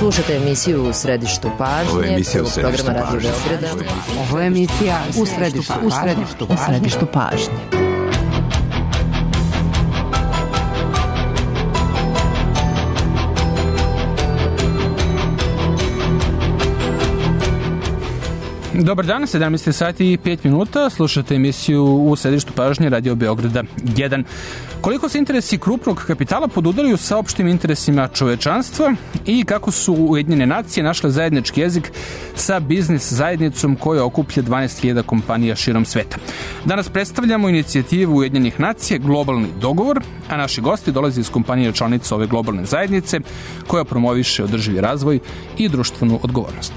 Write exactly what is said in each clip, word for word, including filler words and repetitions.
Slušate emisiju U središtu pažnje. Ovo je emisija U središtu pažnje. Ovo je emisija U središtu pažnje. U središtu, u središtu pažnje. Dobar dan, sedamnaest sati i pet minuta, slušate emisiju U središtu pažnje Radio Beograda jedan. Koliko se interesi krupnog kapitala podudaraju sa opštim interesima čovečanstva i kako su Ujedinjene nacije našle zajednički jezik sa biznis zajednicom koja okuplja dvanaest hiljada kompanija širom sveta. Danas predstavljamo inicijativu Ujedinjenih nacija Globalni dogovor, a naši gosti dolaze iz kompanije članica ove globalne zajednice koja promoviše održivi razvoj i društvenu odgovornost.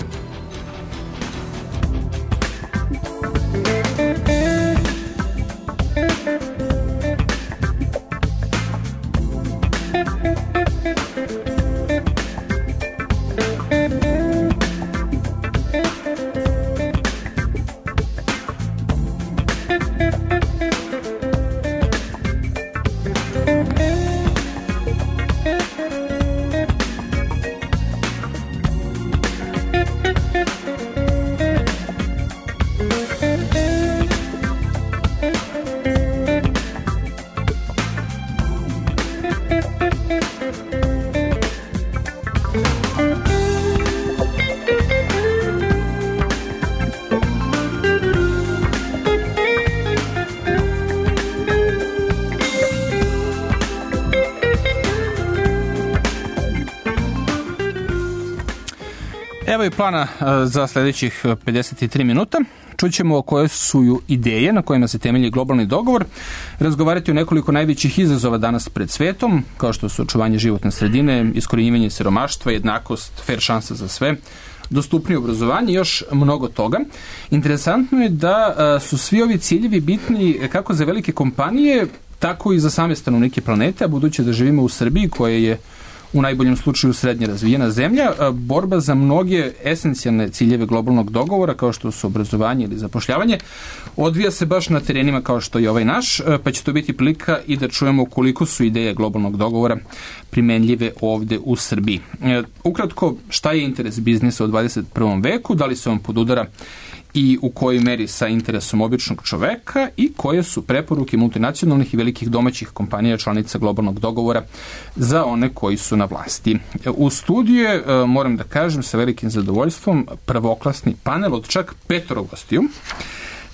Evo i plana za sljedećih pedeset tri minuta. Čućemo koje su ideje na kojima se temelji globalni dogovor, razgovarati o nekoliko najvećih izazova danas pred svetom, kao što su očuvanje životne sredine, iskorjenjivanje siromaštva, jednakost, fair šansa za sve, dostupnije obrazovanje i još mnogo toga. Interesantno je da su svi ovi ciljevi bitni kako za velike kompanije, tako i za same stanovnike planete, a budući da živimo u Srbiji koja je u najboljem slučaju srednje razvijena zemlja, borba za mnoge esencijalne ciljeve globalnog dogovora, kao što su obrazovanje ili zapošljavanje, odvija se baš na terenima kao što je ovaj naš, pa će to biti prilika i da čujemo koliko su ideje globalnog dogovora primenljive ovde u Srbiji. Ukratko, šta je interes biznisa u dvadeset prvom veku, da li se on podudara i u kojoj meri sa interesom običnog čoveka i koje su preporuke multinacionalnih i velikih domaćih kompanija članica globalnog dogovora za one koji su na vlasti. U studiju je, moram da kažem, sa velikim zadovoljstvom prvoklasni panel od čak petoro gostiju.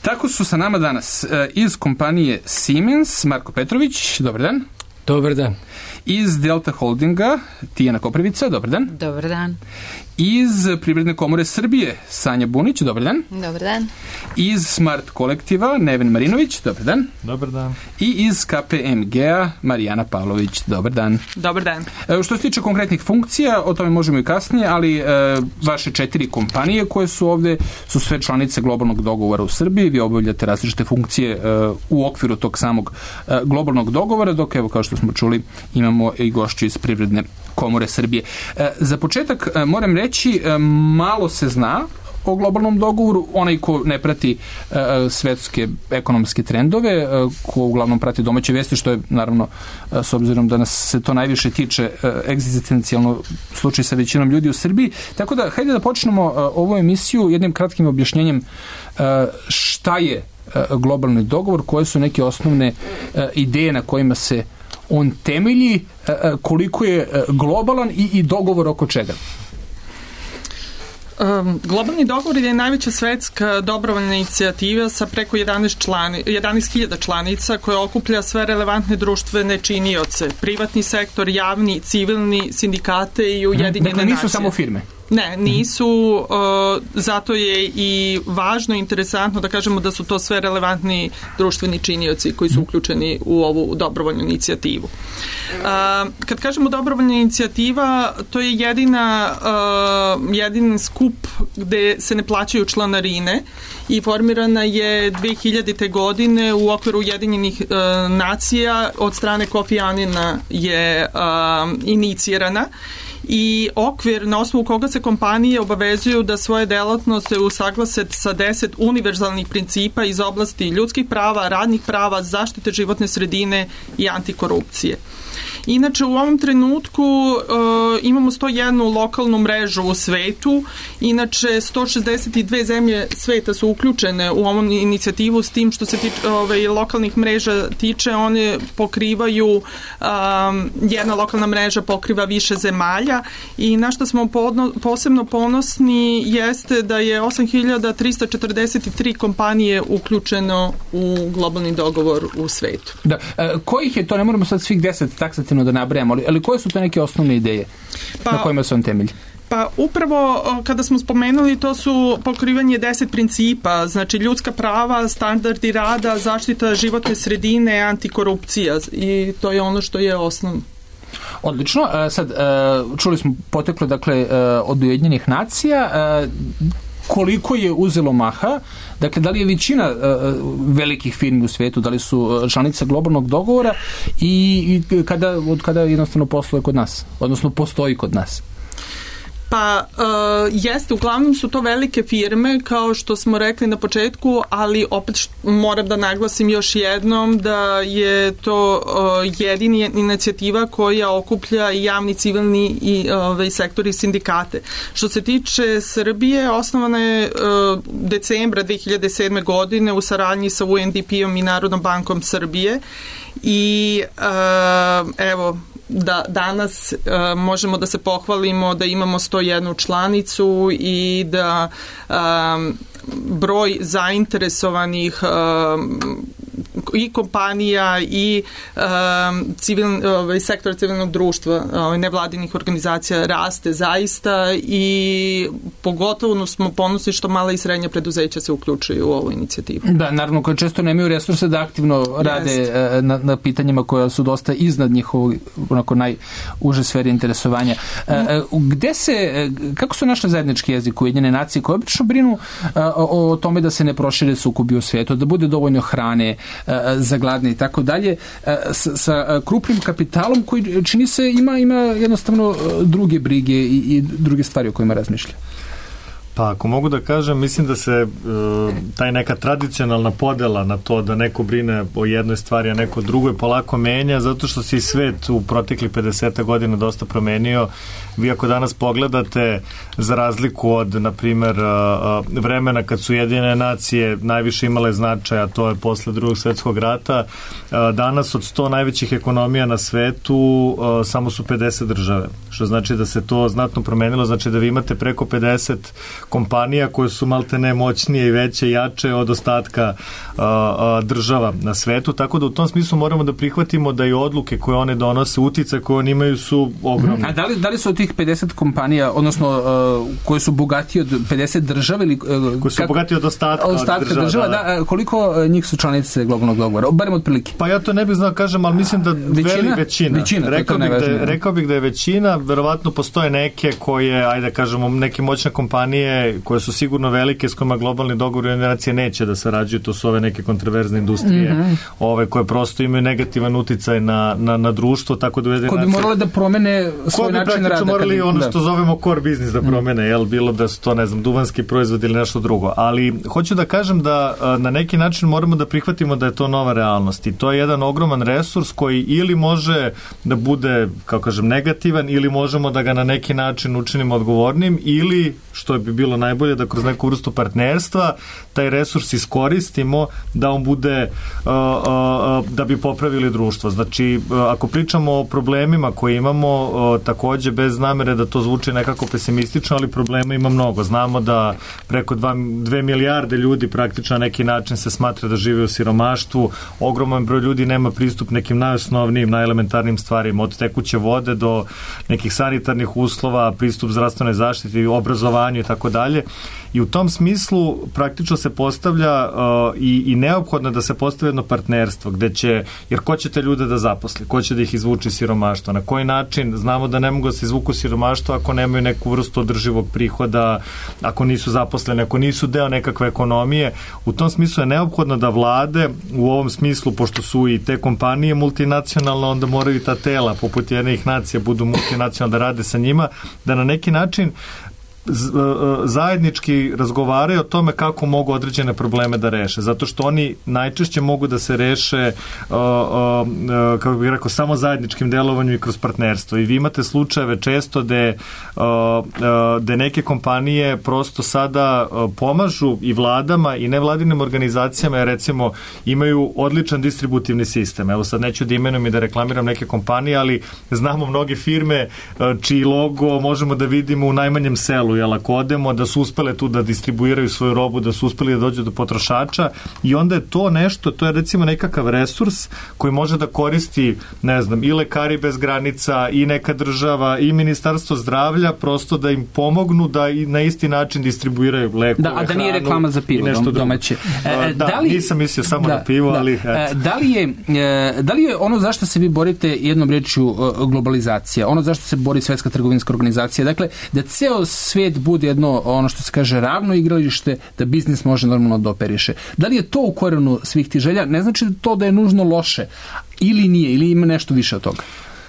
Tako su sa nama danas iz kompanije Siemens Marko Petrović, dobar dan. Dobar dan. Iz Delta Holdinga Tijana Koprivica, dobar dan. Dobar dan. Iz Privredne komore Srbije Sanja Bunić, dobar dan. Dobar dan. Iz Smart kolektiva Neven Marinović, dobar dan. Dobar dan. I iz K P M G-a Marijana Pavlović, dobar dan. Dobar dan. E, što se tiče konkretnih funkcija, o tome možemo i kasnije, ali e, vaše četiri kompanije koje su ovde su sve članice globalnog dogovora u Srbiji, vi obavljate različite funkcije e, u okviru tog samog e, globalnog dogovora, dok evo kao što smo čuli imamo i gošću iz Privredne komore Srbije. E, za početak e, moram reći, e, malo se zna o globalnom dogovoru, onaj ko ne prati e, svetske ekonomske trendove, e, ko uglavnom prati domaće vesti, što je naravno, e, s obzirom da nas se to najviše tiče, e, egzistencijalno slučaj sa većinom ljudi u Srbiji. Tako da, hajde da počnemo e, ovu emisiju jednim kratkim objašnjenjem e, šta je e, globalni dogovor, koje su neke osnovne e, ideje na kojima se on temelji, e, koliko je e, globalan i, i dogovor oko čega. Um, globalni dogovor je najveća svetska dobrovoljna inicijativa sa preko jedanaest hiljada članica koja okuplja sve relevantne društvene činioce, privatni sektor, javni, civilni, sindikate i Ujedinjene nacije. Dakle, nisu samo firme. Ne, nisu, uh, zato je i važno i interesantno da kažemo da su to sve relevantni društveni činioci koji su uključeni u ovu dobrovoljnu inicijativu. Uh, kad kažemo dobrovoljna inicijativa, to je jedina, uh, jedin skup gde se ne plaćaju članarine i formirana je dve hiljadite. godine u okviru Ujedinjenih uh, nacija, od strane Kofi Anina je uh, inicirana i okvir na osnovu koga se kompanije obavezuju da svoje delatnosti usaglase sa deset univerzalnih principa iz oblasti ljudskih prava, radnih prava, zaštite životne sredine i antikorupcije. Inače, u ovom trenutku uh, imamo sto jednu lokalnu mrežu u svetu, inače sto šezdeset dve zemlje sveta su uključene u ovom inicijativu, s tim što se tiče, ovaj, lokalnih mreža tiče, one pokrivaju, um, jedna lokalna mreža pokriva više zemalja i na što smo podno, posebno ponosni jeste da je osam hiljada trista četrdeset tri kompanije uključeno u globalni dogovor u svetu. Da, e, kojih je to, ne moramo sad svih deset taksativno da nabrajamo, ali, ali koje su to neke osnovne ideje pa, na kojima se on temelji? Pa upravo kada smo spomenuli, to su pokrivanje deset principa, znači ljudska prava, standardi rada, zaštita životne sredine, antikorupcija, i to je ono što je osnovno. Odlično. Sad, čuli smo poteklo, dakle, od Ujedinjenih nacija. Koliko je uzelo maha? Dakle, da li je većina velikih firmi u svetu, da li su članice globalnog dogovora i kada, od kada jednostavno posluje kod nas? Odnosno, postoji kod nas? Pa uh, jeste, uglavnom su to velike firme, kao što smo rekli na početku, ali opet št, moram da naglasim još jednom da je to uh, jedini inicijativa koja okuplja i javni, civilni i ovaj, sektor i sindikate. Što se tiče Srbije, osnovana je uh, decembra dve hiljade sedme. godine u saradnji sa U N D P-om i Narodnom bankom Srbije i uh, evo, da danas uh, možemo da se pohvalimo da imamo sto jednu članicu i da um, broj zainteresovanih um, i kompanija i um, civil, ovaj, sektor civilnog društva, ovaj, nevladinih organizacija raste zaista i pogotovo smo ponosni što mala i srednja preduzeća se uključuju u ovu inicijativu. Da, naravno, koje često nemaju resurse da aktivno rade na, na pitanjima koja su dosta iznad njihovog onako najuže sferi interesovanja. Mm. Gde se, kako su našli zajednički jezik Ujedinjene nacije koje obično brinu o, o tome da se ne prošire sukobi u svijetu, da bude dovoljno hrane za gladne i tako dalje, sa, sa krupnim kapitalom koji čini se ima, ima jednostavno druge brige i, i druge stvari o kojima razmišlja? Pa ako mogu da kažem, mislim da se e, taj neka tradicionalna podela na to da neko brine o jednoj stvari, a neko drugoj polako menja, zato što se i svet u proteklih pedeset godina dosta promenio. Vi ako danas pogledate, za razliku od, na primer, vremena kad su Ujedinjene nacije najviše imale značaja, to je posle drugog svetskog rata, danas od sto najvećih ekonomija na svetu samo su pedeset države, što znači da se to znatno promenilo, znači da vi imate preko pedeset kompanija koje su maltene moćnije i veće i jače od ostatka a, a, država na svetu, tako da u tom smislu moramo da prihvatimo da i odluke koje one donose, uticaj koje one imaju su ogromne. A da li, da li su od tih pedeset kompanija, odnosno uh, koje su bogatije od pedeset država ili... Uh, koje su kako, bogatije od ostatka, od ostatka država, država, da, da, koliko njih su članice globalnog dogovora? Barem od prilike. Pa ja to ne bih znao kažem, ali mislim da većina, veli većina. većina rekao, bih da je, rekao bih da je većina, verovatno postoje neke koje, ajde kažemo, neke moćne kompanije koje su sigurno velike, s kojima globalni dogovor generacije neće da sarađuju, to su ove neke kontroverzne industrije, mm-hmm. ove koje prosto imaju negativan uticaj na, na, na društvo, tako da ujedinjene nacije... Ko bi morali da promene svoj način rada. Ko bi morali ono da. što zovemo core business da promene, mm. jel, bilo da su to, ne znam, duvanski proizvod ili nešto drugo. Ali hoću da kažem da na neki način moramo da prihvatimo da je to nova realnost i to je jedan ogroman resurs koji ili može da bude, kao kažem, negativan ili možemo da ga na neki način učinimo odgovornim ili, što bi bilo najbolje, da kroz neku vrstu partnerstva taj resurs iskoristimo da on bude uh, uh, da bi popravili društvo. Znači, uh, ako pričamo o problemima koje imamo, uh, takođe bez namere da to zvuči nekako pesimistično, ali problema ima mnogo. Znamo da preko dva, dve milijarde ljudi praktično na neki način se smatra da žive u siromaštvu. Ogroman broj ljudi nema pristup nekim najosnovnijim, najelementarnim stvarima, od tekuće vode do nekih sanitarnih uslova, pristup zdravstvenoj zaštiti, obrazovanju i tako dalje. I u tom smislu praktično se postavlja uh, i, i neophodno da se postavi jedno partnerstvo gde će, jer ko će te ljude da zaposli, ko će da ih izvuči siromaštva, na koji način, znamo da ne mogu da se izvuku siromaštva ako nemaju neku vrstu održivog prihoda, ako nisu zaposleni, ako nisu deo nekakve ekonomije. U tom smislu je neophodno da vlade u ovom smislu, pošto su i te kompanije multinacionalne, onda moraju i ta tela poput jednih nacija budu multinacionalne, da rade sa njima, da na neki način zajednički razgovaraju o tome kako mogu određene probleme da reše, zato što oni najčešće mogu da se reše uh, uh, kako bih rekao, samo zajedničkim delovanjem i kroz partnerstvo. I vi imate slučajeve često gde, uh, uh, gde neke kompanije prosto sada uh, pomažu i vladama i nevladinim organizacijama, jer recimo imaju odličan distributivni sistem. Evo sad neću da imenujem i da reklamiram neke kompanije, ali znamo mnoge firme uh, čiji logo možemo da vidimo u najmanjem selu, jel, ako odemo, da su uspele tu da distribuiraju svoju robu, da su uspeli da dođu do potrošača, i onda je to nešto, to je recimo nekakav resurs koji može da koristi, ne znam, i Lekari bez granica, i neka država, i Ministarstvo zdravlja, prosto da im pomognu da i na isti način distribuiraju lekove, da, a da nije reklama za pivo domaće. E, da, da li, nisam mislio samo da, na pivo, da, ali... Et. Da li, je, da li je ono zašto se vi borite jednom rečju globalizacija, ono zašto se bori Svetska trgovinska organizacija, dakle, da ceo svet bude jedno, ono što se kaže, ravno igralište, da biznis može normalno da operiše. Da li je to u korenu svih tih želja? Ne znači to da je nužno loše, ili nije, ili ima nešto više od toga?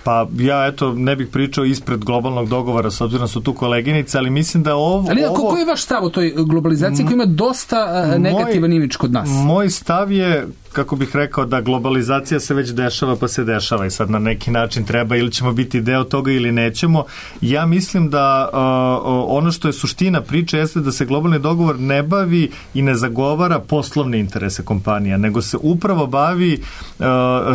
Pa ja, eto, ne bih pričao ispred globalnog dogovora, s obzirom su tu koleginice, ali mislim da ovo... Ali ovo... koji je vaš stav o toj globalizaciji koja ima dosta uh, negativan imidž kod nas? Moj stav je, kako bih rekao, da globalizacija se već dešava, pa se dešava i sad na neki način treba, ili ćemo biti deo toga ili nećemo. Ja mislim da uh, ono što je suština priče jeste da se globalni dogovor ne bavi i ne zagovara poslovne interese kompanija, nego se upravo bavi uh,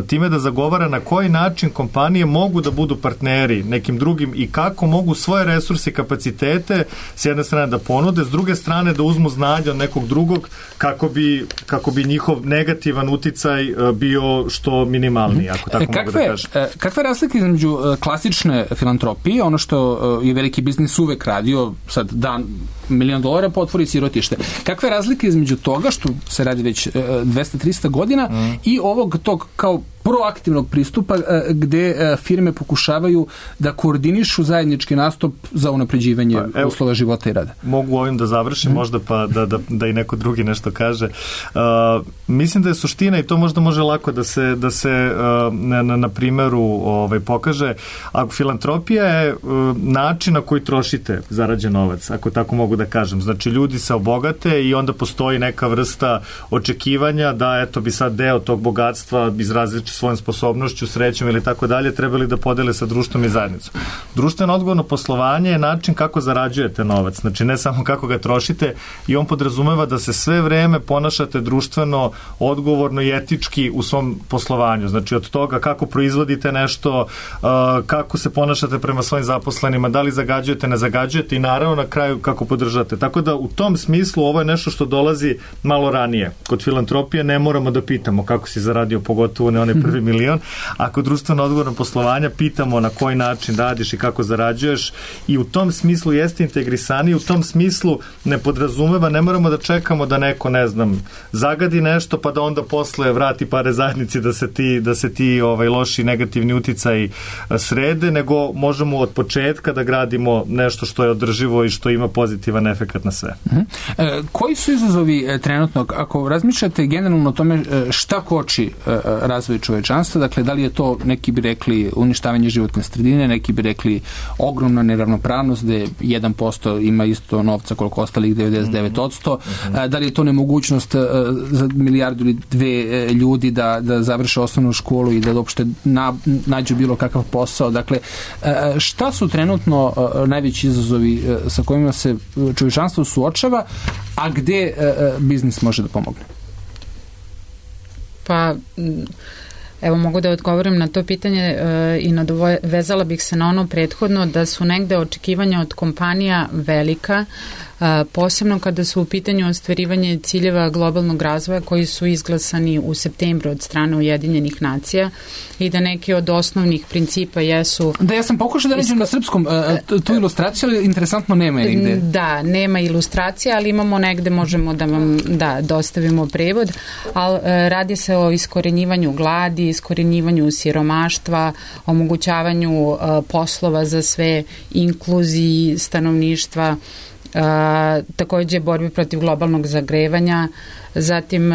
time da zagovara na koji način kompanije mogu da budu partneri nekim drugim i kako mogu svoje resurse i kapacitete s jedne strane da ponude, s druge strane da uzmu znanje od nekog drugog kako bi, kako bi njihov negativan uticaj bio što minimalniji, ako tako kakve, mogu da kažem. Kakve razlike između klasične filantropije, ono što je veliki biznis uvek radio, sad dan milion dolara pa otvori sirotište. Kakve razlike između toga, što se radi već dvesta trista godina, mm. i ovog tog kao proaktivnog pristupa gde firme pokušavaju da koordinišu zajednički nastup za unapređivanje pa, evo, uslova života i rada? Mogu ovim da završim, mm. možda pa da, da, da i neko drugi nešto kaže. Uh, mislim da je suština, i to možda može lako da se, da se uh, na, na primeru ovaj, pokaže, ako filantropija je uh, način na koji trošite zarađen novac, ako tako mogu da kažem. Znači, ljudi se obogate i onda postoji neka vrsta očekivanja da, eto, bi sad deo tog bogatstva izraziti svojom sposobnošću, srećom ili tako dalje, trebali da podele sa društvom i zajednicom. Društveno odgovorno poslovanje je način kako zarađujete novac, znači ne samo kako ga trošite, i on podrazumeva da se sve vreme ponašate društveno, odgovorno i etički u svom poslovanju. Znači od toga kako proizvodite nešto, kako se ponašate prema svojim zaposlenima, da li zagađujete, ne zagađujete, i naravno na kraju kako podržate. Tako da u tom smislu ovo je nešto što dolazi malo ranije. Kod filantropije ne moramo da pitamo kako si zaradio, pogotovo ne onaj prvi milion. Ako društveno odgovorno poslovanja pitamo na koji način radiš i kako zarađuješ, i u tom smislu jeste integrisaniji, u tom smislu ne podrazumeva, ne moramo da čekamo da neko, ne znam, zagadi nešto pa da onda posle vrati pare zajednici da se ti, da se ti ovaj, loši negativni uticaj srede, nego možemo od početka da gradimo nešto što je održivo i što ima pozitivan efekat na sve. Uh-huh. E, koji su izazovi e, trenutno, ako razmišljate generalno o tome e, šta koči e, razvoj čovečanstva, dakle da li je to, neki bi rekli uništavanje životne sredine, neki bi rekli ogromna neravnopravnost gde jedan posto ima isto novca koliko ostalih devedeset devet posto, mm-hmm. da li je to nemogućnost za milijardu ili dve ljudi da, da završe osnovnu školu i da uopšte na, nađu bilo kakav posao. Dakle, šta su trenutno najveći izazovi sa kojima se čovečanstvo suočava, a gde biznis može da pomogne? Pa evo, mogu da odgovorim na to pitanje e, i nadovezala bih se na ono prethodno, da su negde očekivanja od kompanija velika, posebno kada su u pitanju ostvarivanje ciljeva globalnog razvoja koji su izglasani u septembru od strane Ujedinjenih nacija i da neki od osnovnih principa jesu... Da, ja sam pokušao da nađem na srpskom tu ilustraciju, ali interesantno nema je nigde. Da, nema ilustracija, ali imamo negde, možemo da vam da, dostavimo prevod, ali radi se o iskorenjivanju gladi, iskorenjivanju siromaštva, omogućavanju poslova za sve, inkluziji stanovništva, takođe borbi protiv globalnog zagrevanja, zatim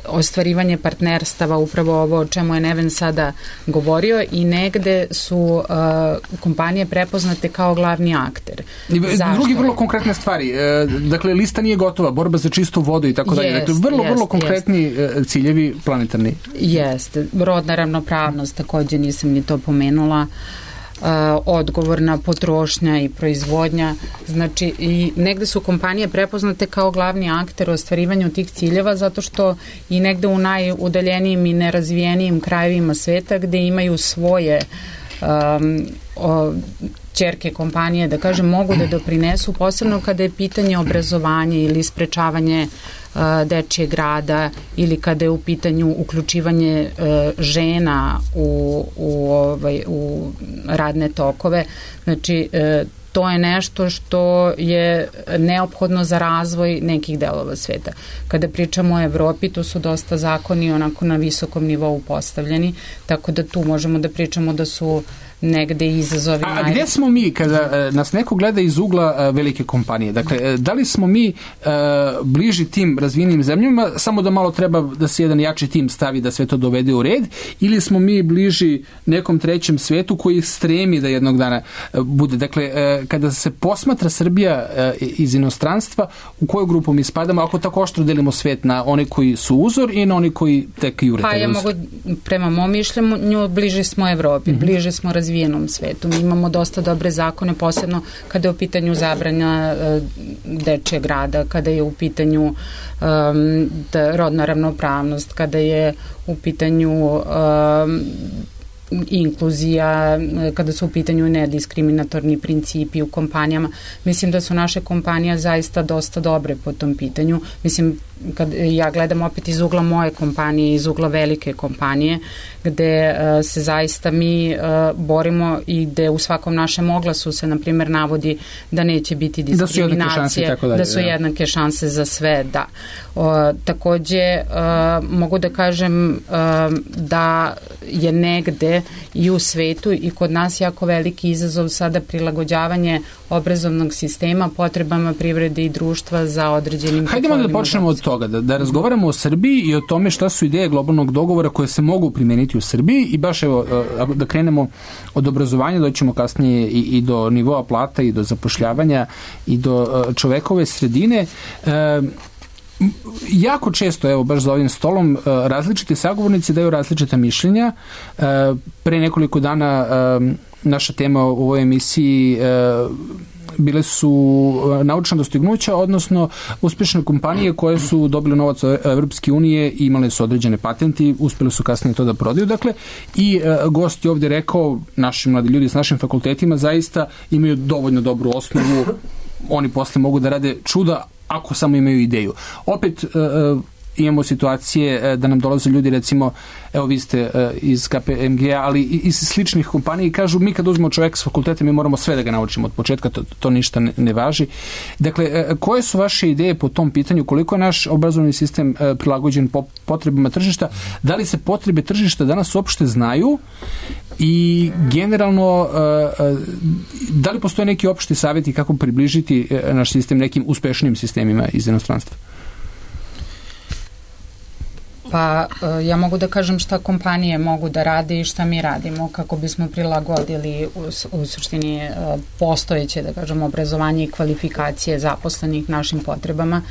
ostvarivanje partnerstava, upravo ovo o čemu je Neven sada govorio, i negde su uh, kompanije prepoznate kao glavni akter. Zašto? Drugi vrlo konkretne stvari. E, dakle, lista nije gotova, borba za čistu vodu i tako dalje. Dakle, vrlo, jest, vrlo konkretni jest. ciljevi planetarni. Jeste. Rodna ravnopravnost, takođe nisam ni to pomenula. Uh, odgovorna potrošnja i proizvodnja, znači i negde su kompanije prepoznate kao glavni akter u ostvarivanju tih ciljeva, zato što i negde u najudaljenijim i nerazvijenijim krajevima sveta gde imaju svoje um, o, ćerke kompanije, da kažem, mogu da doprinesu, posebno kada je pitanje obrazovanja ili sprečavanje uh, dečijeg rada ili kada je u pitanju uključivanje uh, žena u, u, ovaj, u radne tokove. Znači, uh, to je nešto što je neophodno za razvoj nekih delova sveta. Kada pričamo o Evropi, tu su dosta zakoni onako na visokom nivou postavljeni, tako da tu možemo da pričamo da su negde izazovi. A, a gde smo mi kada e, nas neko gleda iz ugla e, velike kompanije? Dakle, e, da li smo mi e, bliži tim razvijenim zemljama, samo da malo treba da se jedan jači tim stavi da sve to dovede u red, ili smo mi bliži nekom trećem svetu koji stremi da jednog dana e, bude? Dakle, e, kada se posmatra Srbija e, iz inostranstva, u koju grupu mi spadamo, ako tako oštro delimo svet na one koji su uzor i na oni koji tek jure? Pa ja mogu, prema mom mišljenju, bliži smo Evropi, mm-hmm. bliži smo razvijenim razvijenom svetu. Mi imamo dosta dobre zakone, posebno kada je u pitanju zabranja uh, dečijeg rada, kada je u pitanju um, da, rodna ravnopravnost, kada je u pitanju um, inkluzija, kada su u pitanju nediskriminatorni principi u kompanijama. Mislim da su naše kompanije zaista dosta dobre po tom pitanju. Mislim, kad ja gledam opet iz ugla moje kompanije, iz ugla velike kompanije, gde uh, se zaista mi uh, borimo i gde u svakom našem oglasu se, na primjer, navodi da neće biti diskriminacije, da su jednake šanse, da su jednake šanse za sve, da. Uh, takođe, uh, mogu da kažem uh, da je negde i u svetu i kod nas jako veliki izazov sada prilagođavanje obrazovnog sistema potrebama privrede i društva za određenim... Hajdemo da počnemo od toga, da, da razgovaramo o Srbiji i o tome šta su ideje globalnog dogovora koje se mogu primeniti u Srbiji i baš evo, da krenemo od obrazovanja, doćemo kasnije i, i do nivoa plata i do zapošljavanja i do čovekove sredine. E, jako često, evo, baš za ovim stolom, različiti sagovornici daju različita mišljenja. Pre nekoliko dana naša tema u ovoj emisiji bile su naučna dostignuća, odnosno uspešne kompanije koje su dobile novac od Evropske unije i imale su određene patenti, uspeli su kasnije to da prodaju. Dakle, i gost je ovdje rekao, naši mladi ljudi s našim fakultetima zaista imaju dovoljno dobru osnovu, oni posle mogu da rade čuda ako samo imaju ideju. Opet uh, imamo situacije uh, da nam dolaze ljudi, recimo, evo vi ste uh, iz K P M G A, ali iz sličnih kompanija i kažu, mi kad uzmemo čovjeka s fakulteta, mi moramo sve da ga naučimo od početka, to, to ništa ne, ne važi. Dakle, uh, koje su vaše ideje po tom pitanju? Koliko je naš obrazovni sistem uh, prilagođen po potrebama tržišta? Da li se potrebe tržišta danas uopšte znaju? I generalno, da li postoje neki opšti savjeti kako približiti naš sistem nekim uspešnijim sistemima iz inostranstva? Pa ja mogu da kažem šta kompanije mogu da rade i šta mi radimo kako bismo prilagodili u, u suštini postojeće, da kažem, obrazovanje i kvalifikacije zaposlenih našim potrebama.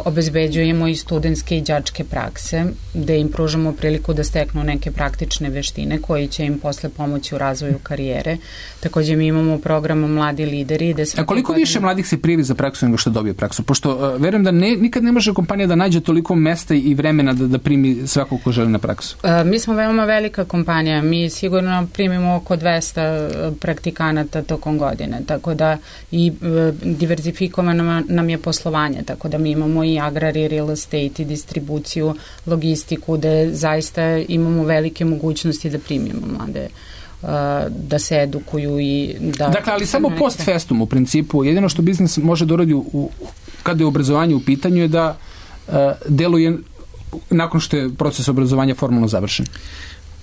obezbeđujemo i studentske i đačke prakse, gde im pružamo priliku da steknu neke praktične veštine koji će im posle pomoći u razvoju karijere. Takođe mi imamo program Mladi lideri. A koliko više mladih se prijavi za praksu nego što dobije praksu? Pošto uh, verujem da ne, nikad ne može kompanija da nađe toliko mesta i vremena da, da primi svakog ko želi na praksu. Uh, mi smo veoma velika kompanija. Mi sigurno primimo oko dvesta praktikanata tokom godine. Tako da i uh, diverzifikovano nam je poslovanje. Tako da mi imamo i agrar i real estate i distribuciju, logistiku, da zaista imamo velike mogućnosti da primimo mlade, da se edukuju i da... Dakle, ali samo post festum u principu, jedino što biznis može da uradi u, kada je obrazovanje u pitanju je da uh, deluje nakon što je proces obrazovanja formalno završen.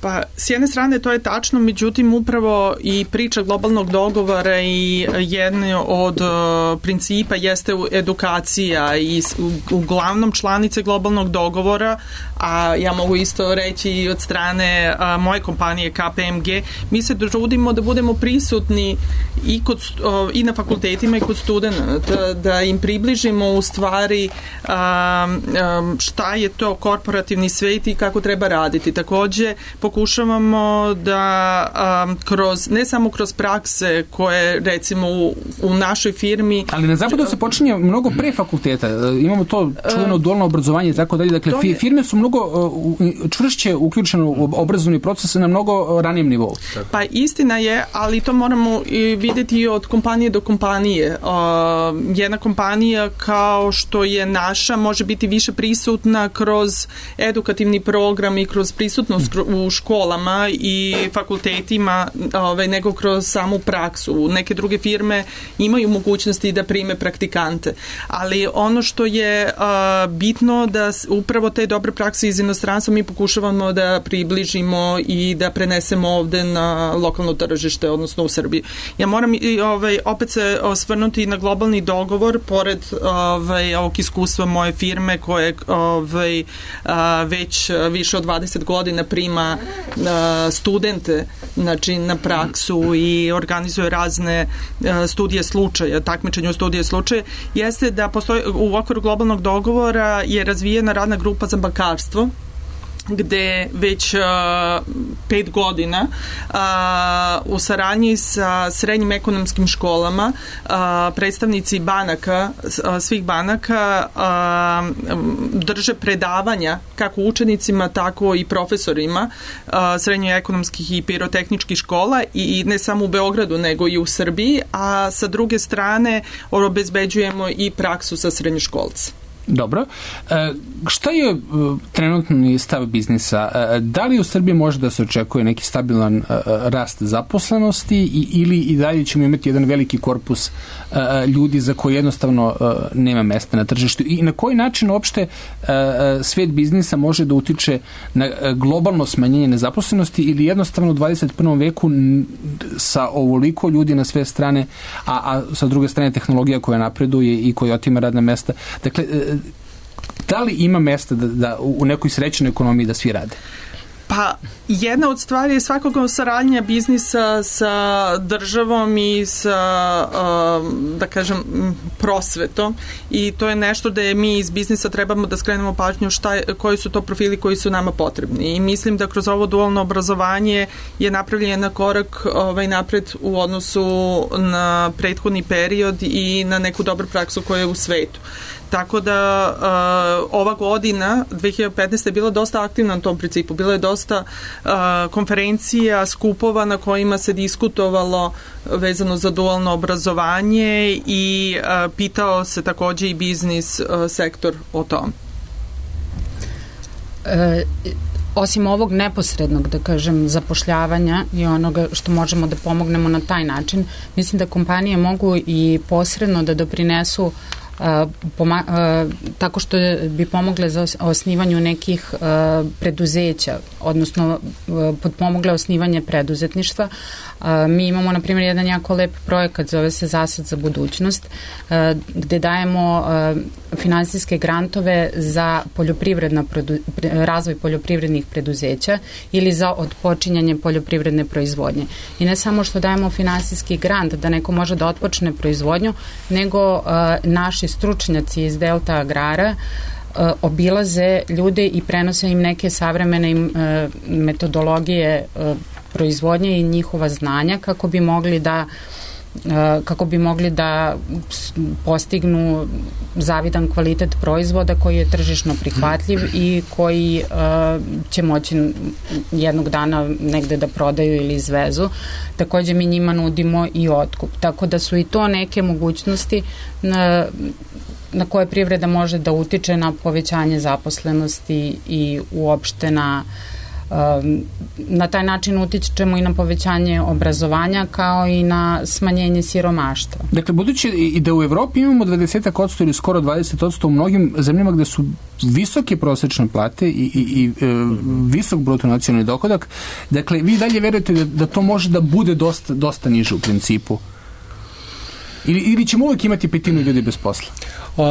Pa, s jedne strane to je tačno, međutim upravo i priča globalnog dogovora i jedno od uh, principa jeste edukacija i u, uglavnom članice globalnog dogovora, a ja mogu isto reći i od strane uh, moje kompanije K P M G, mi se trudimo da budemo prisutni i, kod, uh, i na fakultetima i kod studenta, da im približimo u stvari uh, um, šta je to korporativni svet i kako treba raditi. Takođe, pokušavamo da um, kroz, ne samo kroz prakse koje recimo u, u našoj firmi... Ali na zapadu se počinje mnogo pre fakulteta. Imamo to čuveno dualno obrazovanje i tako dalje. Dakle, je... firme su mnogo uh, čvršće uključene u obrazovni proces na mnogo ranijem nivou. Pa istina je, ali to moramo i vidjeti od kompanije do kompanije. Uh, jedna kompanija kao što je naša može biti više prisutna kroz edukativni program i kroz prisutnost u školama i fakultetima ovaj, nego kroz samu praksu. Neke druge firme imaju mogućnosti da prime praktikante, ali ono što je uh, bitno da upravo te dobre prakse iz inostranstva mi pokušavamo da približimo i da prenesemo ovde na lokalno tržište, odnosno u Srbiji. Ja moram i, ovaj, opet se osvrnuti na globalni dogovor, pored ovaj, ovog iskustva moje firme koje ovaj, već više od dvadeset godina prima studente, znači na praksu i organizuje razne studije slučaja, takmičenje u studije slučaja, jeste da postoji u okviru globalnog dogovora je razvijena radna grupa za bankarstvo, gde već uh, pet godina uh, u saradnji sa srednjim ekonomskim školama uh, predstavnici banaka, uh, svih banaka uh, drže predavanja kako učenicima, tako i profesorima uh, srednjoekonomskih i pirotehničkih škola i, i ne samo u Beogradu, nego i u Srbiji, a sa druge strane obezbeđujemo i praksu sa srednjoškolca. Dobro. E, šta je trenutni stav biznisa? E, da li u Srbiji može da se očekuje neki stabilan e, rast zaposlenosti i, ili i dalje ćemo imati jedan veliki korpus e, ljudi za koji jednostavno e, nema mesta na tržištu? I na koji način uopšte e, svet biznisa može da utiče na globalno smanjenje nezaposlenosti ili jednostavno u dvadeset prvom veku sa ovoliko ljudi na sve strane, a, a sa druge strane tehnologija koja napreduje i koja otima radna mesta. Dakle, da li ima mesta da, da u nekoj srećnoj ekonomiji da svi rade? Pa, jedna od stvari je svakako saradnja biznisa sa državom i sa, da kažem, prosvetom i to je nešto da je mi iz biznisa trebamo da skrenemo pažnju šta, koji su to profili koji su nama potrebni i mislim da kroz ovo dualno obrazovanje je napravljen korak ovaj, napred u odnosu na prethodni period i na neku dobru praksu koja je u svetu. Tako da uh, ova godina, dve hiljade petnaeste je bila dosta aktivna na tom principu. Bilo je dosta uh, konferencija, skupova na kojima se diskutovalo vezano za dualno obrazovanje i uh, pitao se takođe i biznis uh, sektor o tom. E, osim ovog neposrednog, da kažem, zapošljavanja i onoga što možemo da pomognemo na taj način, mislim da kompanije mogu i posredno da doprinesu Uh, poma, uh, tako što bi pomogle za osnivanju nekih uh, preduzeća, odnosno uh, potpomogle osnivanje preduzetništva. Uh, mi imamo, na primjer, jedan jako lep projekat, zove se Zasad za budućnost, uh, gde dajemo uh, finansijske grantove za poljoprivredna produ, razvoj poljoprivrednih preduzeća ili za otpočinjanje poljoprivredne proizvodnje. I ne samo što dajemo finansijski grant da neko može da otpočne proizvodnju, nego uh, naši neki stručnjaci iz Delta Agrara obilaze ljude i prenose im neke savremene metodologije proizvodnje i njihova znanja kako bi mogli da kako bi mogli da postignu zavidan kvalitet proizvoda koji je tržišno prihvatljiv i koji uh, će moći jednog dana negde da prodaju ili izvezu. Takođe mi njima nudimo i otkup. Tako da su i to neke mogućnosti na, na koje privreda može da utiče na povećanje zaposlenosti i uopšte na na taj način utičemo i na povećanje obrazovanja kao i na smanjenje siromaštva. Dakle, budući i da u Evropi imamo dvadeset posto ili skoro dvadeset posto u mnogim zemljama gde su visoke prosečne plate i, i, i e, visok bruto nacionalni dohodak, dakle, vi dalje verujete da, da to može da bude dosta, dosta niže u principu? Ili, ili ćemo uvijek imati petinu ljudi bez posla? Uh,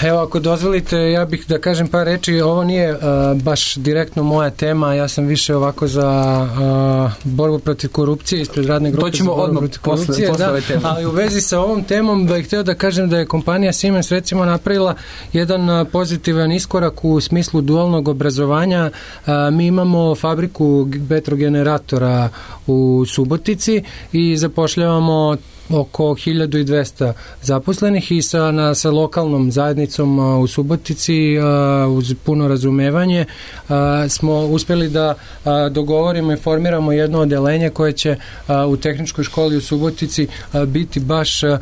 evo, ako dozvolite, ja bih da kažem par reči. Ovo nije uh, baš direktno moja tema, ja sam više ovako za uh, borbu protiv korupcije ispred radne grupe za borbu protiv korupcije. Posle, posle da, ali u vezi sa ovom temom bih htio da kažem da je kompanija Siemens recimo napravila jedan uh, pozitivan iskorak u smislu dualnog obrazovanja. Uh, mi imamo fabriku vetrogeneratora u Subotici i zapošljavamo oko hiljadu dvesta zaposlenih i sa, na, sa lokalnom zajednicom a, u Subotici a, uz puno razumevanje a, smo uspjeli da a, dogovorimo i formiramo jedno odeljenje koje će a, u tehničkoj školi u Subotici a, biti baš a,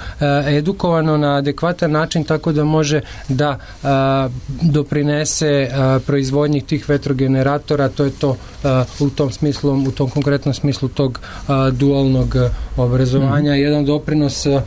edukovano na adekvatan način tako da može da a, doprinese a, proizvodnji tih vetrogeneratora. To je to a, u tom smislu, u tom konkretnom smislu tog a, dualnog obrazovanja. Mm. Jedan doprinos a,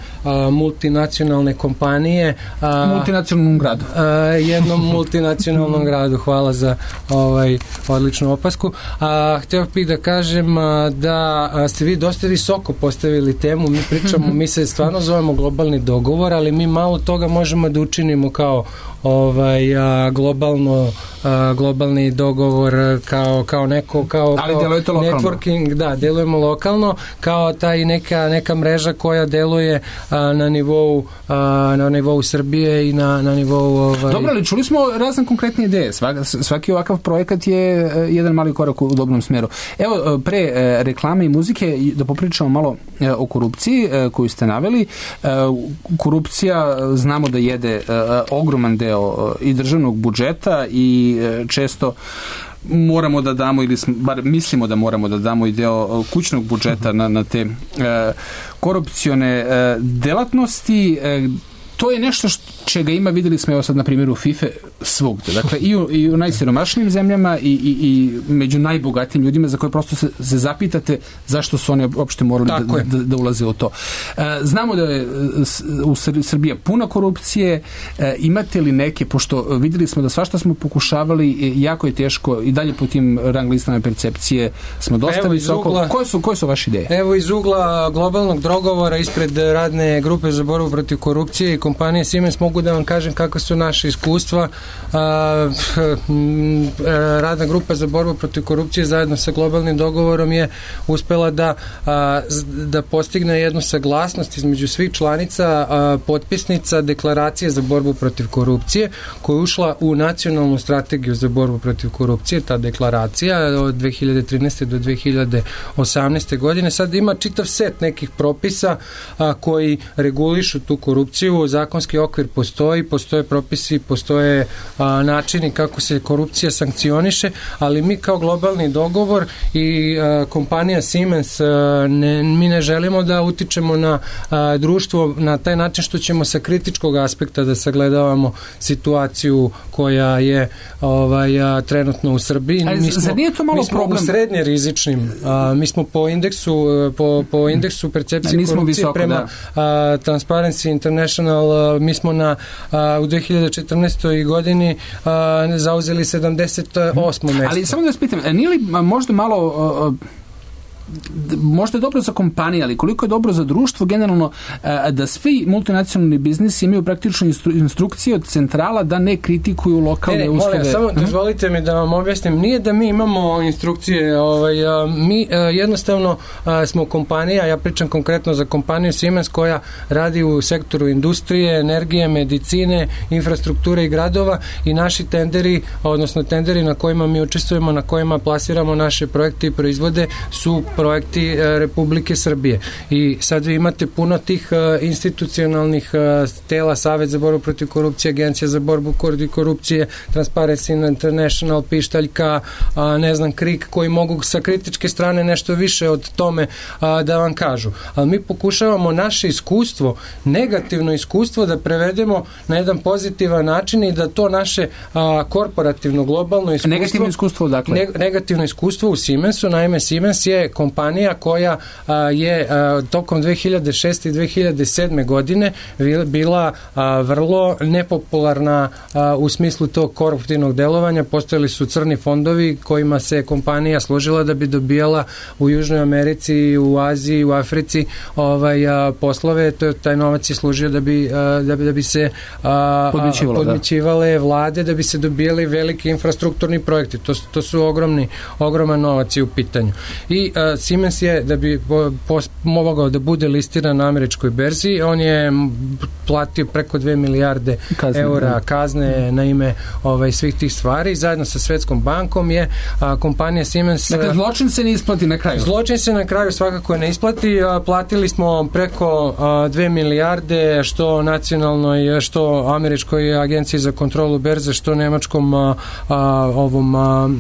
multinacionalne kompanije. A, multinacionalnom gradu. A, jednom multinacionalnom gradu. Hvala za ovaj odličnu opasku. A, htio bih da kažem a, da a, ste vi dosta visoko postavili temu. Mi pričamo, mi se stvarno zovemo globalni dogovor, ali mi malo toga možemo da učinimo kao ovaj a, globalno a, globalni dogovor kao kao neko kao, ali kao networking, da, delujemo lokalno kao taj neka neka mreža koja deluje a, na nivou a, na nivou Srbije i na na nivou ovaj. Dobro, ali čuli smo razne konkretne ideje. Svaki, svaki ovakav projekat je jedan mali korak u dobrom smeru. Evo, pre reklame i muzike da popričamo malo o korupciji koju ste naveli. Korupcija znamo da jede ogroman deo i državnog budžeta i često moramo da damo ili bar mislimo da moramo da damo i deo kućnog budžeta na, na te e, korupcione e, delatnosti. E, to je nešto što, čega ima, videli smo evo sad na primjeru FIFA svugde. Dakle, i u, i u najsiromašnijim zemljama i, i, i među najbogatijim ljudima za koje prosto se, se zapitate zašto su oni uopšte morali da, da, da ulaze u to. E, znamo da je u Srbiji puna korupcije. E, imate li neke, pošto videli smo da svašta smo pokušavali, jako je teško i dalje po tim rang listama percepcije smo dosta visoko. Ugla, koje, su, koje su vaše ideje? Evo iz ugla globalnog dogovora ispred radne grupe za borbu protiv korupcije i kompanije Siemens mogu da vam kažem kakva su naše iskustva. A, radna grupa za borbu protiv korupcije zajedno sa globalnim dogovorom je uspela da, a, da postigne jednu saglasnost između svih članica a, potpisnica deklaracije za borbu protiv korupcije koja je ušla u nacionalnu strategiju za borbu protiv korupcije. Ta deklaracija od dve hiljade trinaeste do dve hiljade osamnaeste godine sad ima čitav set nekih propisa a, koji regulišu tu korupciju. Zakonski okvir postoji, postoje propisi, postoje a, načini kako se korupcija sankcioniše, ali mi kao globalni dogovor i a, kompanija Siemens a, ne, mi ne želimo da utičemo na a, društvo na taj način što ćemo sa kritičkog aspekta da sagledavamo situaciju koja je ovaj, a, trenutno u Srbiji. Ali mi smo, zar nije to malo mi smo problem? U srednje rizičnim. A, mi smo po indeksu po, po indeksu percepcije ne, korupcije visoko, prema da. a, Transparency International a, mi smo na a, u dve hiljade četrnaestoj godini a, zauzeli sedamdeset osmo mesto. Ali samo da vas pitam, nije li možda malo možda je dobro za kompanije, ali koliko je dobro za društvo generalno da svi multinacionalni biznisi imaju praktično instru, instrukcije od centrala da ne kritikuju lokalne e, uslove. Molim, samo dozvolite mi da vam objasnim. Nije da mi imamo instrukcije, ovaj, mi jednostavno smo kompanija, ja pričam konkretno za kompaniju Siemens koja radi u sektoru industrije, energije, medicine, infrastrukture i gradova i naši tenderi, odnosno tenderi na kojima mi učestvujemo, na kojima plasiramo naše projekte i proizvode su projekti Republike Srbije. I sad vi imate puno tih institucionalnih tela, Savet za borbu protiv korupcije, Agencija za borbu protiv korupcije, Transparency International, Pištaljka, ne znam, Krik, koji mogu sa kritičke strane nešto više od tome da vam kažu. Ali mi pokušavamo naše iskustvo, negativno iskustvo da prevedemo na jedan pozitivan način i da to naše korporativno, globalno iskustvo... Negativno iskustvo, dakle? Ne, negativno iskustvo u Siemensu, naime Siemens je kompanija koja a, je a, tokom dve hiljade šeste i dve hiljade sedme godine bila a, vrlo nepopularna a, u smislu tog koruptivnog delovanja. Postojali su crni fondovi kojima se kompanija služila da bi dobijala u Južnoj Americi, u Aziji, u Africi ovaj, a, poslove. To, taj novac je služio da bi, a, da bi, da bi se a, podmićivale da. vlade, da bi se dobijali veliki infrastrukturni projekti. To, to su ogromni, ogroman novac u pitanju. I uh, Siemens je, da bi po, po, mogao da bude listiran na američkoj berzi, on je platio preko dve milijarde kazne, eura da. kazne na ime ovaj, svih tih stvari. Zajedno sa Svetskom bankom je a, kompanija Siemens... Dakle, zločin se ne isplati na kraju? Zločin se na kraju svakako ne isplati. A, platili smo preko a, dve milijarde, što nacionalnoj, što američkoj agenciji za kontrolu berze, što nemačkom a, a, ovom a,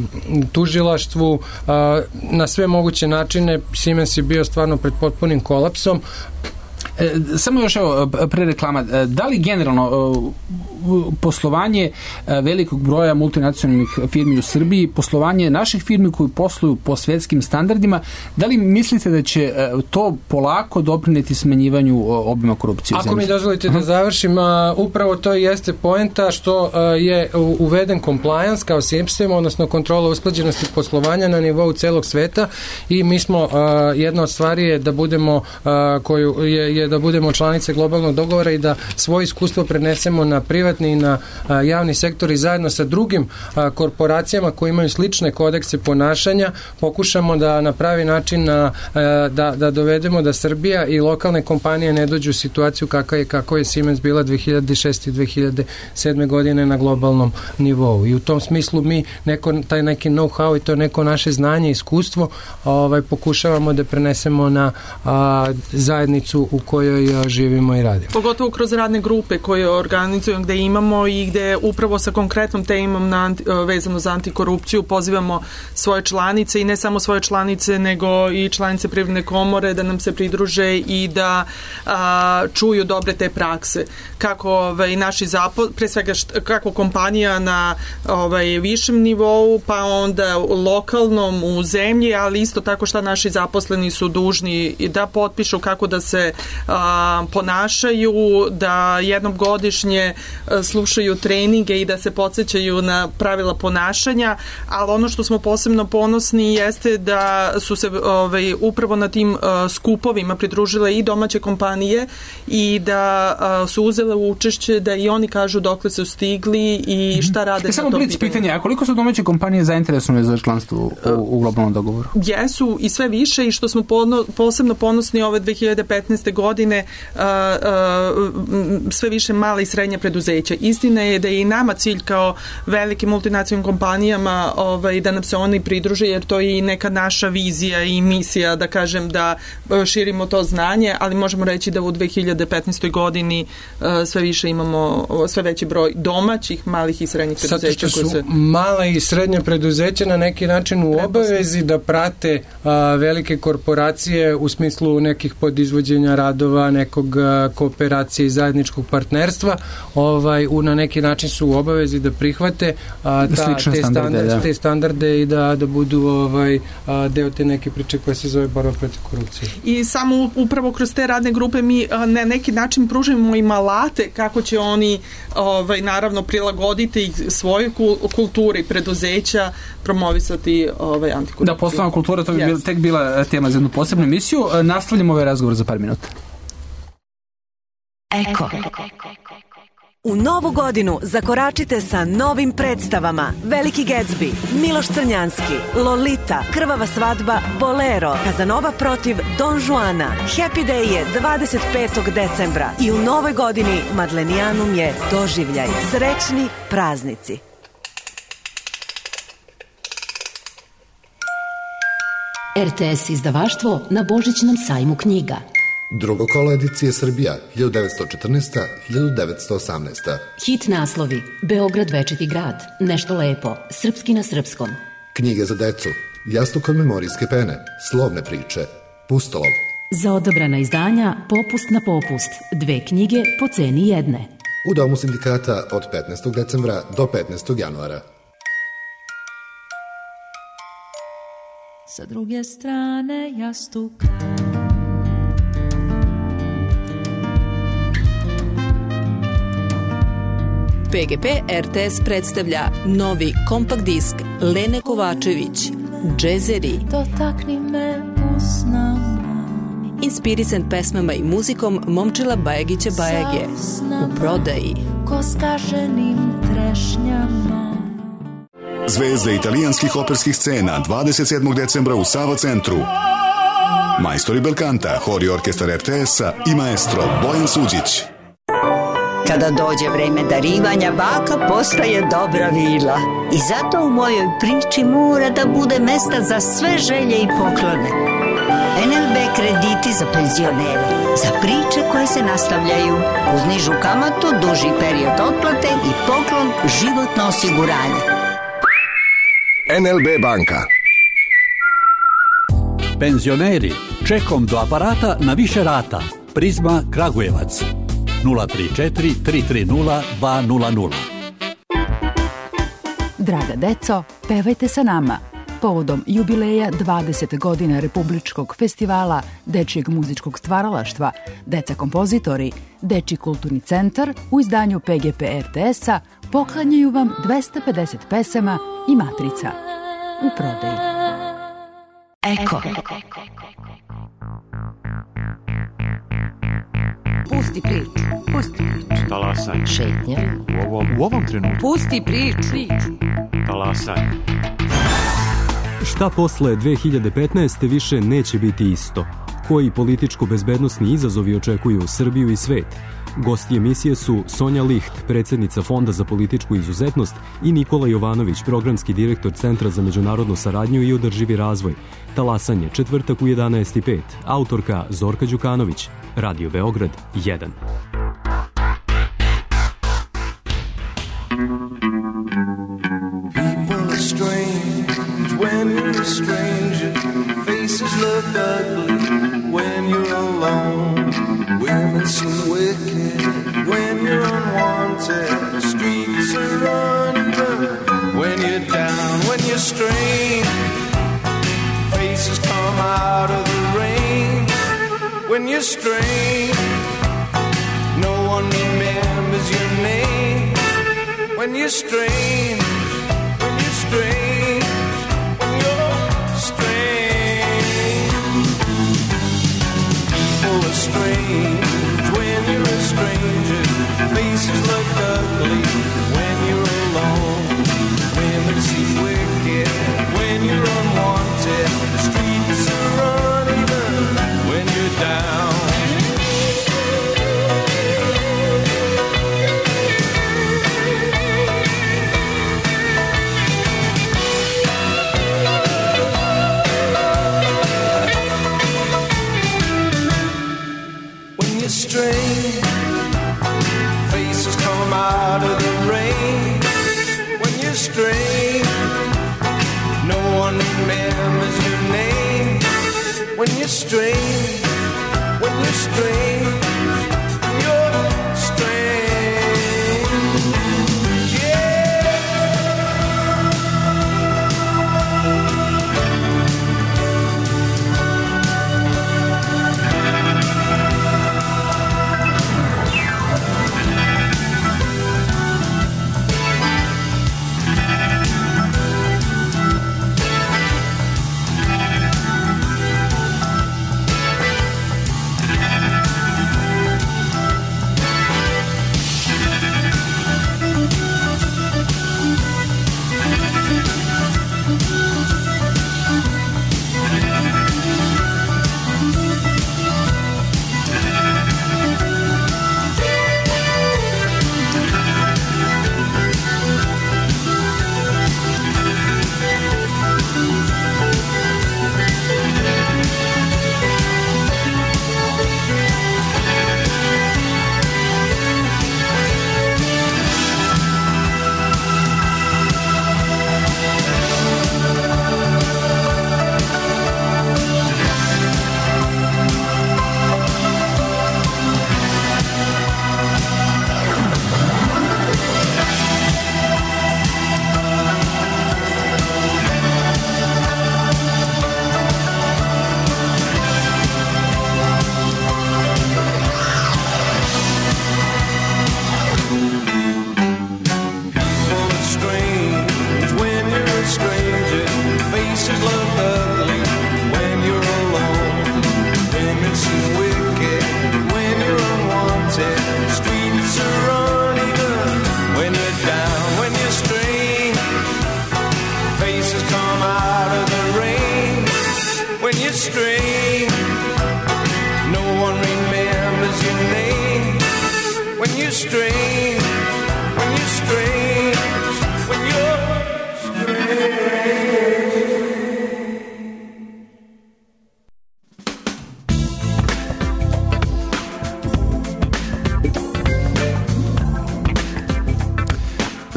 tužilaštvu, a, na sve moguće načine. Siemens je bio stvarno pred potpunim kolapsom. E, samo još evo, pre reklama, da li generalno poslovanje velikog broja multinacionalnih firmi u Srbiji, poslovanje naših firmi koji posluju po svetskim standardima, da li mislite da će to polako doprineti smanjivanju obima korupcije? Ako mi dozvolite da završim, upravo to jeste poenta što je uveden compliance kao sistem, odnosno kontrola usklađenosti poslovanja na nivou celog sveta i mi smo, jedna od stvari je da budemo koju je, je da budemo članice globalnog dogovora i da svoje iskustvo prenesemo na privatni i na a, javni sektor i zajedno sa drugim a, korporacijama koji imaju slične kodekse ponašanja pokušamo da na pravi način a, a, da, da dovedemo da Srbija i lokalne kompanije ne dođu u situaciju kakva je, kako je Siemens bila dve hiljade šeste i dve hiljade sedme godine na globalnom nivou. I u tom smislu mi neko, taj neki know-how i to neko naše znanje i iskustvo ovaj, pokušavamo da prenesemo na a, zajednicu u kojoj a, živimo i radimo. Pogotovo kroz radne grupe koje organizujemo, gde imamo i gde upravo sa konkretnom temom na anti, vezano za antikorupciju pozivamo svoje članice i ne samo svoje članice nego i članice Privredne komore da nam se pridruže i da a, čuju dobre te prakse. Kako ovaj, naši zapo, pre svega št, kako kompanija na ovaj, višem nivou, pa onda lokalnom u zemlji, ali isto tako šta naši zaposleni su dužni da potpišu, kako da se a, ponašaju, da jednom godišnje slušaju treninge i da se podsjećaju na pravila ponašanja, ali ono što smo posebno ponosni jeste da su se ovaj, upravo na tim uh, skupovima pridružile i domaće kompanije i da uh, su uzele učešće da i oni kažu dokle su stigli i šta rade. E, samo blic pitanje, a koliko su domaće kompanije zainteresovane za članstvo u, u globalnom dogovoru? Jesu i sve više i što smo pono, posebno ponosni ove dve hiljade petnaeste godine uh, uh, sve više mala i srednja preduzeća. Istina je da je i nama cilj kao velikim multinacionalnim kompanijama ovaj, da nam se oni pridruže, jer to je i neka naša vizija i misija, da kažem, da širimo to znanje, ali možemo reći da u dve hiljade petnaestoj godini uh, sve više imamo sve veći broj domaćih, malih i srednjih preduzeća. Zato što su se... mala i srednje preduzeća na neki način u obavezi da prate uh, velike korporacije u smislu nekih podizvođenja radova radova, nekog kooperacije i zajedničkog partnerstva, ovaj, u, na neki način su u obavezi da prihvate a, ta, te, standarde, da. te standarde i da, da budu ovaj, a, deo te neke priče koja se zove borba protiv korupcije. I samo upravo kroz te radne grupe mi a, na neki način pružimo im alate kako će oni ovaj, naravno prilagoditi svojoj kulturi preduzeća, promovisati ovaj, antikorupciju. Da, poslovna kultura, to bi yes. bil, tek bila tema za jednu posebnu emisiju. Nastavljamo ovaj razgovor za par minuta. Eko. U novu godinu zakoračite sa novim predstavama Veliki Gatsby, Miloš Crnjanski, Lolita, Krvava svadba, Bolero, Kazanova protiv Don Juana. Happy Day je dvadeset petog decembra i u novoj godini Madlenijanum je doživljaj. Srećni praznici. er te es izdavaštvo na Božićnom sajmu knjiga. Drugo kolo edicije Srbija, hiljadu devetsto četrnaesta do hiljadu devetsto osamnaesta. Hit naslovi: Beograd večiti grad, Nešto lepo, Srpski na srpskom. Knjige za decu, Jastuk od memorijske pene, Slovne priče, Pustolov. Za odabrana izdanja Popust na popust, dve knjige po ceni jedne. U Domu sindikata od petnaestog decembra do petnaestog januara. Sa druge strane jastuka P G P er te es predstavlja novi kompakt disk Lene Kovačević, Džezeri. Dotakni me usnama. Inspirisan pesmama i muzikom Momčila Bajagića Bajage. U prodaji. Ko skaženim trešnjama. Zvezde italijanskih operskih scena dvadeset sedmog decembra u Sava centru. Majstori Belkanta, hor i orkestar er te es-a i maestro Bojan Suđić. Kada dođe vreme darivanja, baka postaje dobra vila. I zato u mojoj priči mora da bude mesta za sve želje i poklone. en el be krediti za penzionere, za priče koje se nastavljaju, uz nižu kamatu, duži period otplate i poklon životno osiguranje. en el be banka. Penzioneri, čekom do aparata na više rata. Prizma Kragujevac. nula tri četiri tri tri nula dva nula nula. Draga deco, pevajte sa nama. Povodom jubileja dvadeset godina Republičkog festivala Dečijeg muzičkog stvaralaštva, Deca kompozitori, Dečiji kulturni centar u izdanju P G P er te es-a poklanjaju vam dvesta pedeset pesama i matrica. U prodaji. Eko. Pusti priču. Pusti priču. Talasanje. Šetnja. U ovom, u ovom trenutku. Pusti priču. Talasanje. Šta posle dve hiljade petnaeste. više neće biti isto? Koji političko-bezbednosni izazovi očekuju Srbiju i svet? Gosti emisije su Sonja Licht, predsjednica Fonda za političku izuzetnost, i Nikola Jovanović, programski direktor Centra za međunarodnu saradnju i održivi razvoj. Talasanje, četvrtak u jedanaest i pet. Autorka Zorka Đukanović. Radio Beograd jedan. People are strange when you're a stranger. Faces look ugly when you're alone. Women seem wicked when you're unwanted. Streets are uneven when you're down, when you're strange. Faces come out of the rain when you're strange. No one remembers your name when you're strange. When you're strange. When you're strange. People are strange when you're a stranger. Faces look ugly when you're alone. Women seem wicked when you're unwanted. The streets are uneven when you're down. When you're strange, faces come out of the rain. When you're strange, no one remembers your name. When you're strange, when you're strange, you're strange, yeah.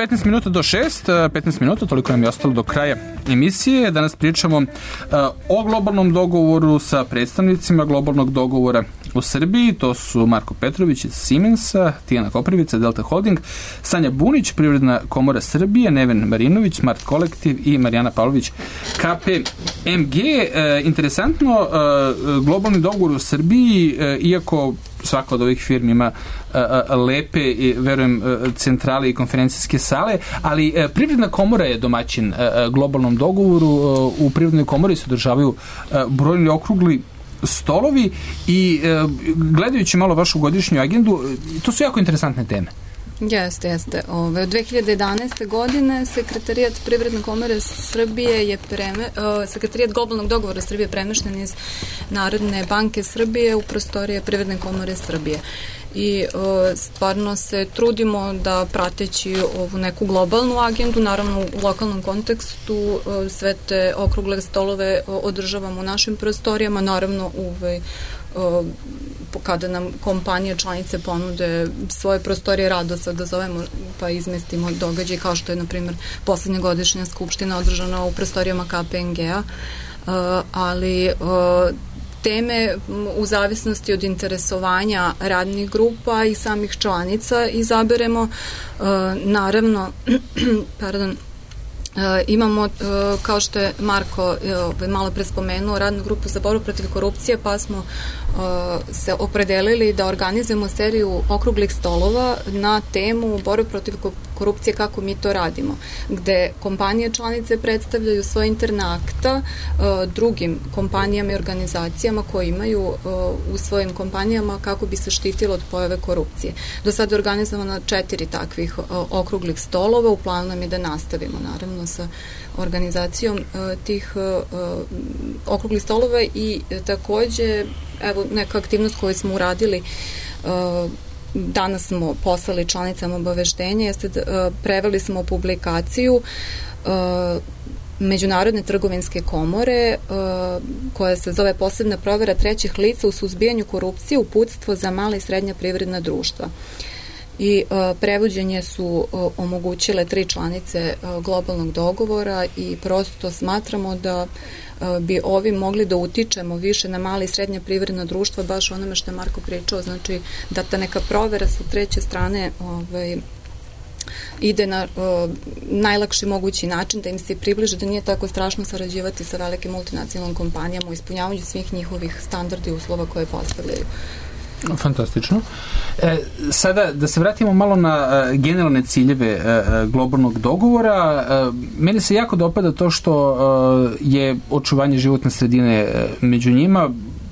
petnaest minuta do šest, petnaest minuta, toliko nam je ostalo do kraja emisije. Danas pričamo uh, o globalnom dogovoru sa predstavnicima globalnog dogovora u Srbiji. To su Marko Petrović iz Siemensa, Tijana Koprivica, Delta Holding, Sanja Bunić, Privredna komora Srbije, Neven Marinović, Smart Kolektiv i Marijana Pavlović, K P M G. Uh, interesantno, uh, globalni dogovor u Srbiji, uh, iako svaka od ovih firmi ima uh, lepe i, verujem, uh, centrale i konferencijske sale, ali uh, Privredna komora je domaćin uh, globalnom dogovoru. Uh, u Privrednoj komori se održavaju uh, brojni okrugli stolovi i uh, gledajući malo vašu godišnju agendu, to su jako interesantne teme. Jeste, jeste. Ove, od dve hiljade jedanaeste. godine Sekretarijat Privredne komore Srbije je preme, uh, Sekretarijat globalnog dogovora Srbije premešten iz Narodne banke Srbije u prostorije Privredne komore Srbije. I uh, stvarno se trudimo da prateći ovu neku globalnu agendu, naravno u lokalnom kontekstu, uh, sve te okrugle stolove uh, održavamo u našim prostorijama, naravno uvej uh, kada nam kompanije članice ponude svoje prostorije, rado se odazovemo pa izmestimo događaj kao što je na primjer poslednja godišnja skupština održana u prostorijama K P M G-a, uh, ali uh, teme u zavisnosti od interesovanja radnih grupa i samih članica izaberemo. Uh, naravno, pardon, Uh, imamo, uh, kao što je Marko uh, malo pre spomenuo, radnu grupu za borbu protiv korupcije, pa smo uh, se opredelili da organizujemo seriju okruglih stolova na temu borbe protiv korupcije, kako mi to radimo, gde kompanije članice predstavljaju svoje interne akta uh, drugim kompanijama i organizacijama koje imaju uh, u svojim kompanijama kako bi se štitilo od pojave korupcije. Do sada je organizovano četiri takvih uh, okruglih stolova, u planu nam je da nastavimo, naravno, sa organizacijom uh, tih uh, okruglih stolova i uh, takođe, evo, neka aktivnost koju smo uradili, uh, danas smo poslali članicama obaveštenje, jeste da uh, preveli smo publikaciju uh, Međunarodne trgovinske komore uh, koja se zove Posebna provera trećih lica u suzbijanju korupcije, uputstvo za mala i srednja privredna društva. i uh, prevođenje su uh, omogućile tri članice uh, globalnog dogovora i prosto smatramo da uh, bi ovi mogli da utičemo više na mali i srednja privredna društva, baš onome što je Marko pričao, znači da ta neka provera sa treće strane ovaj, ide na uh, najlakši mogući način, da im se približe, da nije tako strašno sarađivati sa velikim multinacionalnim kompanijama u ispunjavanju svih njihovih standarda i uslova koje postavljaju. Fantastično. E, sada, da se vratimo malo na e, generalne ciljeve e, globalnog dogovora. E, meni se jako dopada to što e, je očuvanje životne sredine e, među njima.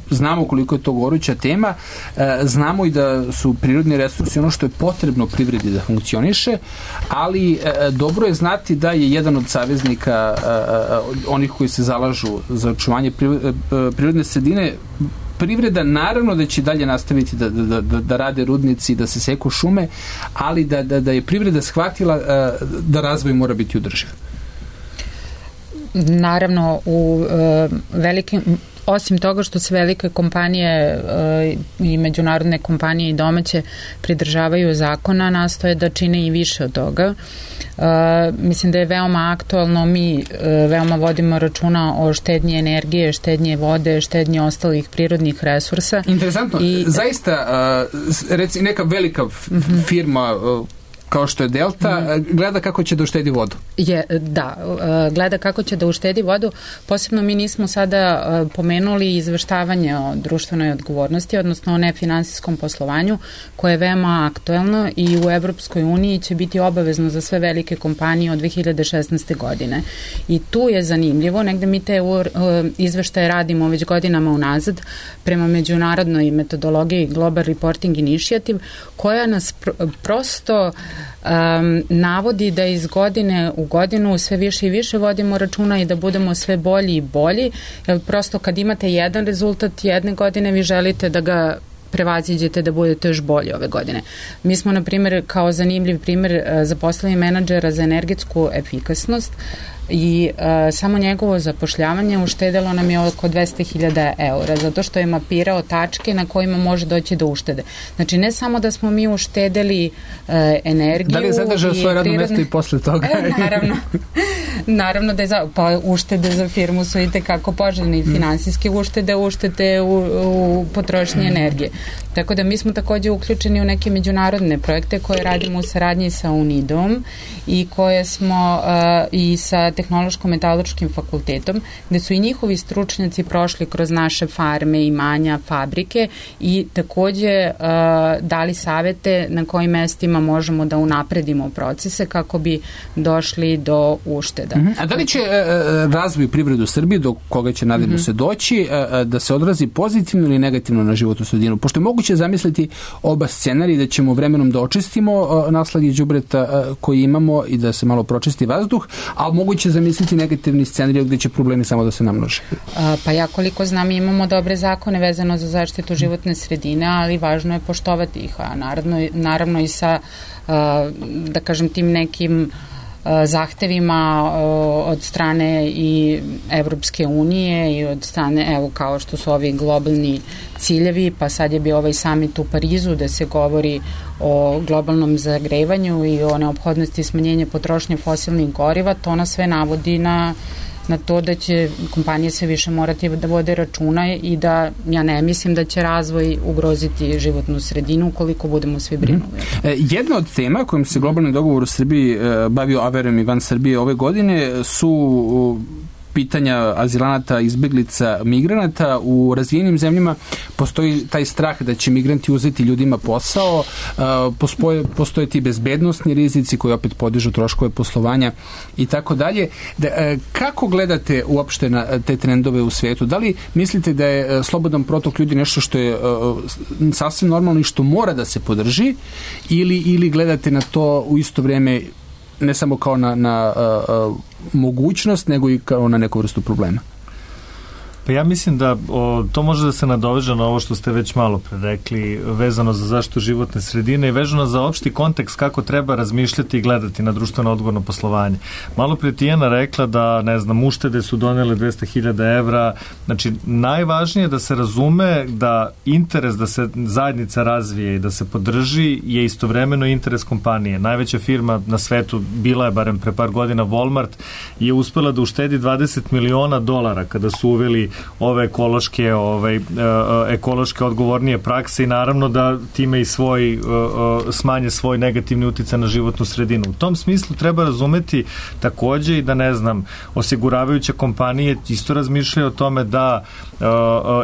Znamo koliko je to goruća tema, e, znamo i da su prirodni resursi ono što je potrebno privredi da funkcioniše, ali e, dobro je znati da je jedan od saveznika e, onih koji se zalažu za očuvanje prirodne sredine privreda. Naravno da će dalje nastaviti da, da, da, da rade rudnici, da se seku šume, ali da, da, da je privreda shvatila e, da razvoj mora biti održiv. Naravno, u e, velikim osim toga što se velike kompanije uh, i međunarodne kompanije i domaće pridržavaju zakona, nastoje da čine i više od toga. Uh, mislim da je veoma aktualno, mi uh, veoma vodimo računa o štednji energije, štednji vode, štednji ostalih prirodnih resursa. Interesantno, I, zaista uh, reci, neka velika uh-huh. firma uh, kao što je Delta, gleda kako će da uštedi vodu. Je, da, gleda kako će da uštedi vodu. Posebno mi nismo sada pomenuli izveštavanje o društvenoj odgovornosti, odnosno o nefinansijskom poslovanju, koje je veoma aktuelno i u Evropskoj uniji će biti obavezno za sve velike kompanije od dve hiljade šesnaeste. godine. I tu je zanimljivo, negde mi te izveštaje radimo već godinama unazad prema međunarodnoj metodologiji Global Reporting Initiative, koja nas pr- prosto Um, navodi da iz godine u godinu sve više i više vodimo računa i da budemo sve bolji i bolji, jer prosto kad imate jedan rezultat jedne godine, vi želite da ga prevaziđete, da budete još bolji ove godine. Mi smo, na primjer, kao zanimljiv primjer, zaposlili menadžera za energetsku efikasnost i uh, samo njegovo zapošljavanje uštedelo nam je oko dvesta hiljada eura, zato što je mapirao tačke na kojima može doći do uštede. Znači, ne samo da smo mi uštedeli uh, energiju... Da li je zadržao svoje radno mesto i posle toga? E, naravno. Naravno da je za, pa uštede za firmu su i tekako poželjne i finansijske uštede, uštede u, u potrošnji energije. Tako da mi smo takođe uključeni u neke međunarodne projekte koje radimo u saradnji sa UNIDO-om i koje smo uh, i sa Tehnološko-metaloškim fakultetom, gde su i njihovi stručnjaci prošli kroz naše farme, imanja, fabrike i takođe uh, dali savete na kojim mestima možemo da unapredimo procese kako bi došli do ušteda. Uh-huh. A da li će uh, razvoj privrede u Srbiji, do koga će nadamo uh-huh. se doći, uh, da se odrazi pozitivno ili negativno na životnu sredinu? Pošto je moguće zamisliti oba scenarija, da ćemo vremenom da očistimo uh, naslage đubreta uh, koji imamo i da se malo pročisti vazduh, ali moguće zamisliti negativni scenarij gde će problemi samo da se namnože. A, pa ja koliko znam imamo dobre zakone vezano za zaštitu životne sredine, ali važno je poštovati ih, a naravno, naravno i sa a, da kažem tim nekim a, zahtevima a, od strane i Evropske unije i od strane, evo kao što su ovi globalni ciljevi, pa sad je bio ovaj samit u Parizu da se govori o globalnom zagrevanju i o neophodnosti smanjenja potrošnje fosilnih goriva. To nas sve navodi na, na to da će kompanije sve više morati da vode računa i da ja ne mislim da će razvoj ugroziti životnu sredinu ukoliko budemo svi brinuli. Mm. E, jedna od tema kojim se globalni dogovor u Srbiji e, bavio, a verujem i van Srbije ove godine, su pitanja azilanata, izbeglica, migranata. U razvijenim zemljama postoji taj strah da će migranti uzeti ljudima posao, postoje, postoje ti bezbednostni rizici koji opet podižu troškove poslovanja i tako dalje. Kako gledate uopšte na te trendove u svijetu? Da li mislite da je slobodan protok ljudi nešto što je sasvim normalno i što mora da se podrži, ili, ili gledate na to u isto vrijeme ne samo kao na, na uh, uh, mogućnost, nego i kao na neku vrstu problema? Pa ja mislim da o, to može da se nadoveže na ovo što ste već malo pre rekli, vezano za zaštitu životne sredine i vezano za opšti kontekst kako treba razmišljati i gledati na društveno odgovorno poslovanje. Malo pre Tijana rekla da, ne znam, uštede su donele dvesta hiljada evra. Znači, najvažnije je da se razume da interes da se zajednica razvije i da se podrži je istovremeno interes kompanije. Najveća firma na svetu, bila je barem pre par godina, Walmart, je uspela da uštedi dvadeset miliona dolara kada su uveli ove ekološke, ove, ekološke odgovornije prakse i naravno da time i svoj, smanje svoj negativni uticaj na životnu sredinu. U tom smislu treba razumeti takođe i da, ne znam, osiguravajuće kompanije isto razmišljaju o tome da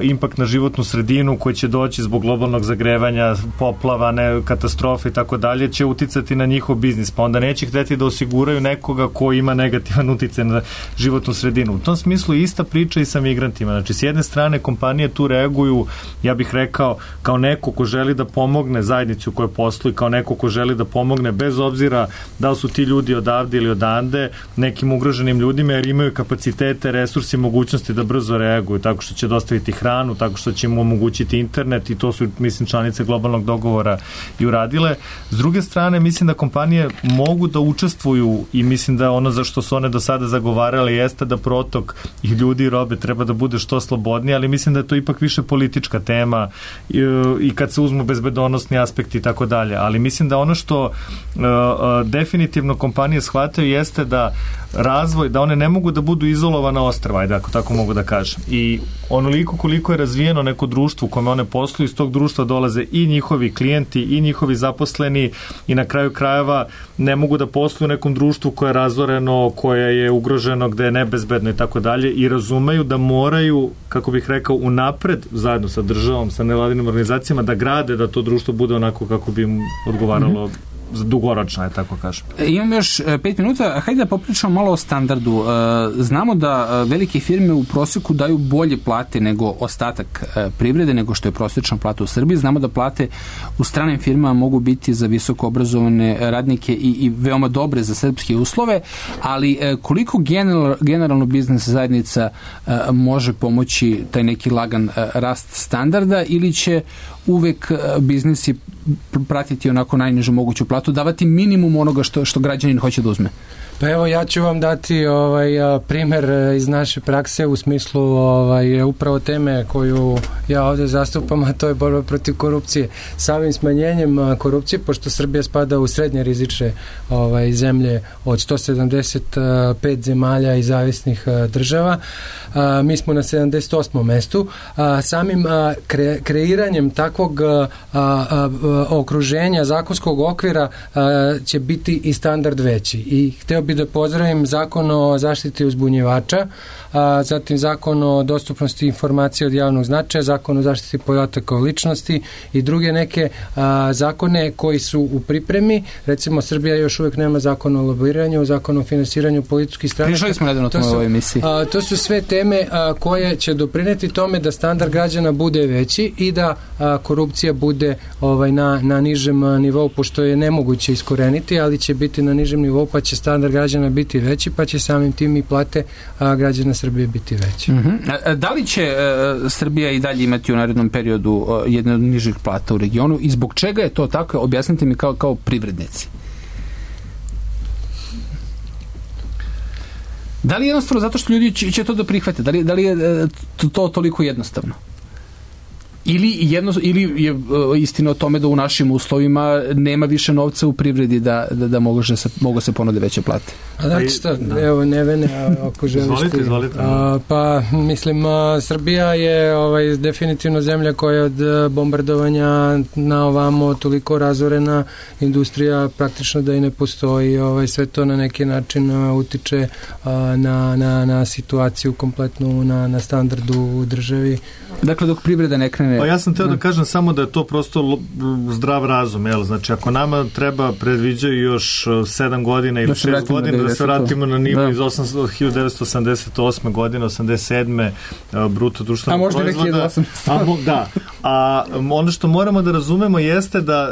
impakt na životnu sredinu koji će doći zbog globalnog zagrevanja, poplava, ne, katastrofe i tako dalje, će uticati na njihov biznis, pa onda neće hteti da osiguraju nekoga ko ima negativan uticaj na životnu sredinu. U tom smislu ista priča i sa migrantima. Znači, s jedne strane kompanije tu reaguju, ja bih rekao, kao neko ko želi da pomogne zajednici u kojoj posluju, kao neko ko želi da pomogne bez obzira da li su ti ljudi odavde ili odande, nekim ugroženim ljudima, jer imaju kapacitete, resursi, mogućnosti da brzo reaguju, tako što će dostaviti hranu, tako što će im omogućiti internet i to su, mislim, članice globalnog dogovora i uradile. S druge strane, mislim da kompanije mogu da učestvuju i mislim da ono za što su one do sada zagovarale jeste da protok i ljudi i robe treba da bude što slobodnije, ali mislim da je to ipak više politička tema i, i kad se uzmu bezbedonosni aspekti i tako dalje. Ali mislim da ono što uh, uh, definitivno kompanije shvataju jeste da razvoj, da one ne mogu da budu izolovana ostrva, ajde, ako tako mogu da kažem. I onoliko koliko je razvijeno neko društvo u kome one posluju, iz tog društva dolaze i njihovi klijenti i njihovi zaposleni i na kraju krajeva ne mogu da posluju u nekom društvu koje je razoreno, koje je ugroženo, gde je nebezbedno i tako dalje i razumeju da moraju, kako bih rekao, unapred zajedno sa državom, sa nevladinim organizacijama da grade da to društvo bude onako kako bi im odgovaralo mm-hmm. dugoročno, je tako kažem. Imam još pet minuta, hajde da popričamo malo o standardu. Znamo da velike firme u proseku daju bolje plate nego ostatak privrede, nego što je prosječna plata u Srbiji. Znamo da plate u stranim firmama mogu biti za visoko obrazovane radnike i, i veoma dobre za srpske uslove, ali koliko general, generalno biznis zajednica može pomoći taj neki lagan rast standarda ili će uvek biznisi pratiti onako najnižu moguću platu, davati minimum onoga što, što građanin hoće da uzme? Pa evo, ja ću vam dati ovaj primer iz naše prakse u smislu ovaj upravo teme koju ja ovde zastupam, a to je borba protiv korupcije. Samim smanjenjem korupcije, pošto Srbija spada u srednje rizične ovaj zemlje od sto sedamdeset pet zemalja i zavisnih država, a, mi smo na sedamdeset osmom mestu. A, samim a, kre, kreiranjem takvog a, a, okruženja, zakonskog okvira a, će biti i standard veći. I hteo bi da pozdravim zakon o zaštiti uzbunjivača, a, zatim zakon o dostupnosti informacija od javnog značaja, zakon o zaštiti podataka o ličnosti i druge neke a, zakone koji su u pripremi. Recimo, Srbija još uvek nema zakon o lobiranju, zakon o finansiranju političkih stranaka. Prišli smo nedavno o ovoj emisiji. A, to su sve teme a, koje će doprineti tome da standard građana bude veći i da a, korupcija bude ovaj, na, na nižem a, nivou, pošto je nemoguće iskoreniti, ali će biti na nižem nivou, pa će standard građana biti veći, pa će samim tim i plate a, građana Srbije biti veće. Uh-huh. A, da li će uh, Srbija i dalje imati u narednom periodu uh, jedne od nižih plata u regionu i zbog čega je to tako? Objasnite mi kao, kao privrednici. Da li je jednostavno zato što ljudi će, će to da prihvate? Da li, da li je uh, to, to toliko jednostavno? Ili, jedno, ili je uh, istina o tome da u našim uslovima nema više novca u privredi da, da, da mogu, se, mogu se ponude veće plate? A znači šta, da. Evo Nevene, ako želiš izvolite, ti. Izvolite. A, pa, mislim, a, Srbija je ovaj, definitivno zemlja koja je od bombardovanja na ovamo toliko razorena, industrija praktično da i ne postoji, ovaj, sve to na neki način a, utiče a, na, na, na situaciju kompletnu, na, na standardu u državi. Dakle, dok privreda ne krene Pa ja sam teo da kažem samo da je to prosto zdrav razum, jel? Znači, ako nama treba, predviđaju još sedam godina ili šest godina da se vratimo na nivo da. iz hiljadu devetsto osamdeset osme godine, osamdeset sedme bruto društvenog proizvoda. A možda hiljadu osamsto. A, da. A ono što moramo da razumemo jeste da,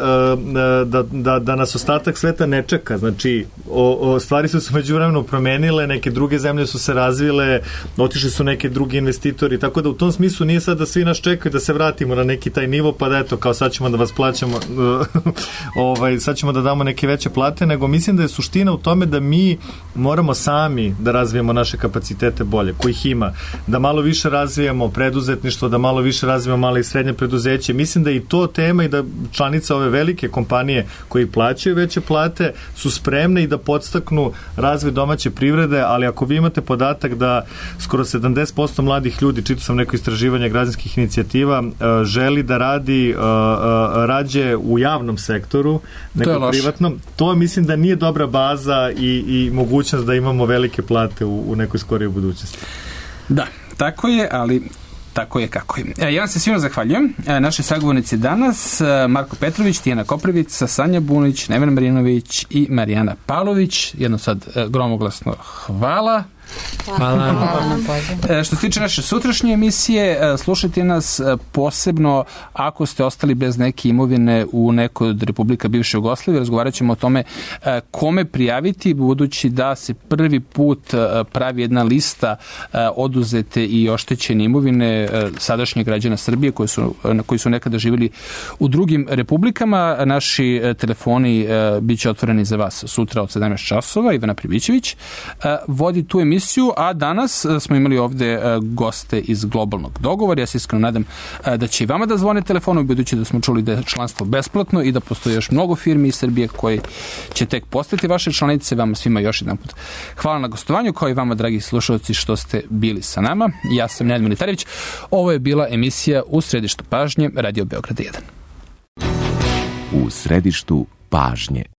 da, da, da nas ostatak sveta ne čeka. Znači, o, o, stvari su se međuvremeno promenile, neke druge zemlje su se razvile, otišli su neke drugi investitori, tako da u tom smislu nije sad da svi nas čekaju da se vratimo na neki taj nivo, pa da eto, kao sad ćemo da vas plaćamo, ovaj, sad ćemo da damo neke veće plate, nego mislim da je suština u tome da mi moramo sami da razvijemo naše kapacitete bolje, kojih ima, da malo više razvijamo preduzetništvo, da malo više razvijamo male i srednje preduzeće. Mislim da je i to tema i da članice ove velike kompanije koji plaćaju veće plate su spremne i da podstaknu razvoj domaće privrede, ali ako vi imate podatak da skoro sedamdeset posto mladih ljudi, čitao sam neko istraživanje građanskih inicijativa, želi da radi rađe u javnom sektoru nego privatnom. To mislim da nije dobra baza i, i mogućnost da imamo velike plate u, u nekoj skorijoj budućnosti. Da, tako je, ali tako je kako je. E, ja vam se svima zahvaljujem. E, naše sagovornici danas Marko Petrović, Tijana Koprivica, Sanja Bunić, Nevena Marinović i Marijana Pavlović. Jedno sad e, gromoglasno hvala. Hvala. Hvala. Što se tiče naše sutrašnje emisije, slušajte nas posebno ako ste ostali bez neke imovine u nekoj od republika bivše Jugoslavije. Razgovarat ćemo o tome kome prijaviti, budući da se prvi put pravi jedna lista oduzete i oštećene imovine sadašnjih građana Srbije koji su, koji su nekada živjeli u drugim republikama. Naši telefoni bit će otvoreni za vas sutra od sedamnaest časova. Ivana Pribićević vodi tu emisiju, a danas smo imali ovde goste iz Globalnog dogovora. Ja se iskreno nadam da će i vama da zvone telefonom, budući da smo čuli da je članstvo besplatno i da postoji još mnogo firmi iz Srbije koji će tek postati vaše članice. Vama svima još jedan put hvala na gostovanju, kao i vama, dragi slušalci, što ste bili sa nama. Ja sam Nenad Militarević. Ovo je bila emisija U središtu pažnje Radio Beograd jedan. U središtu pažnje.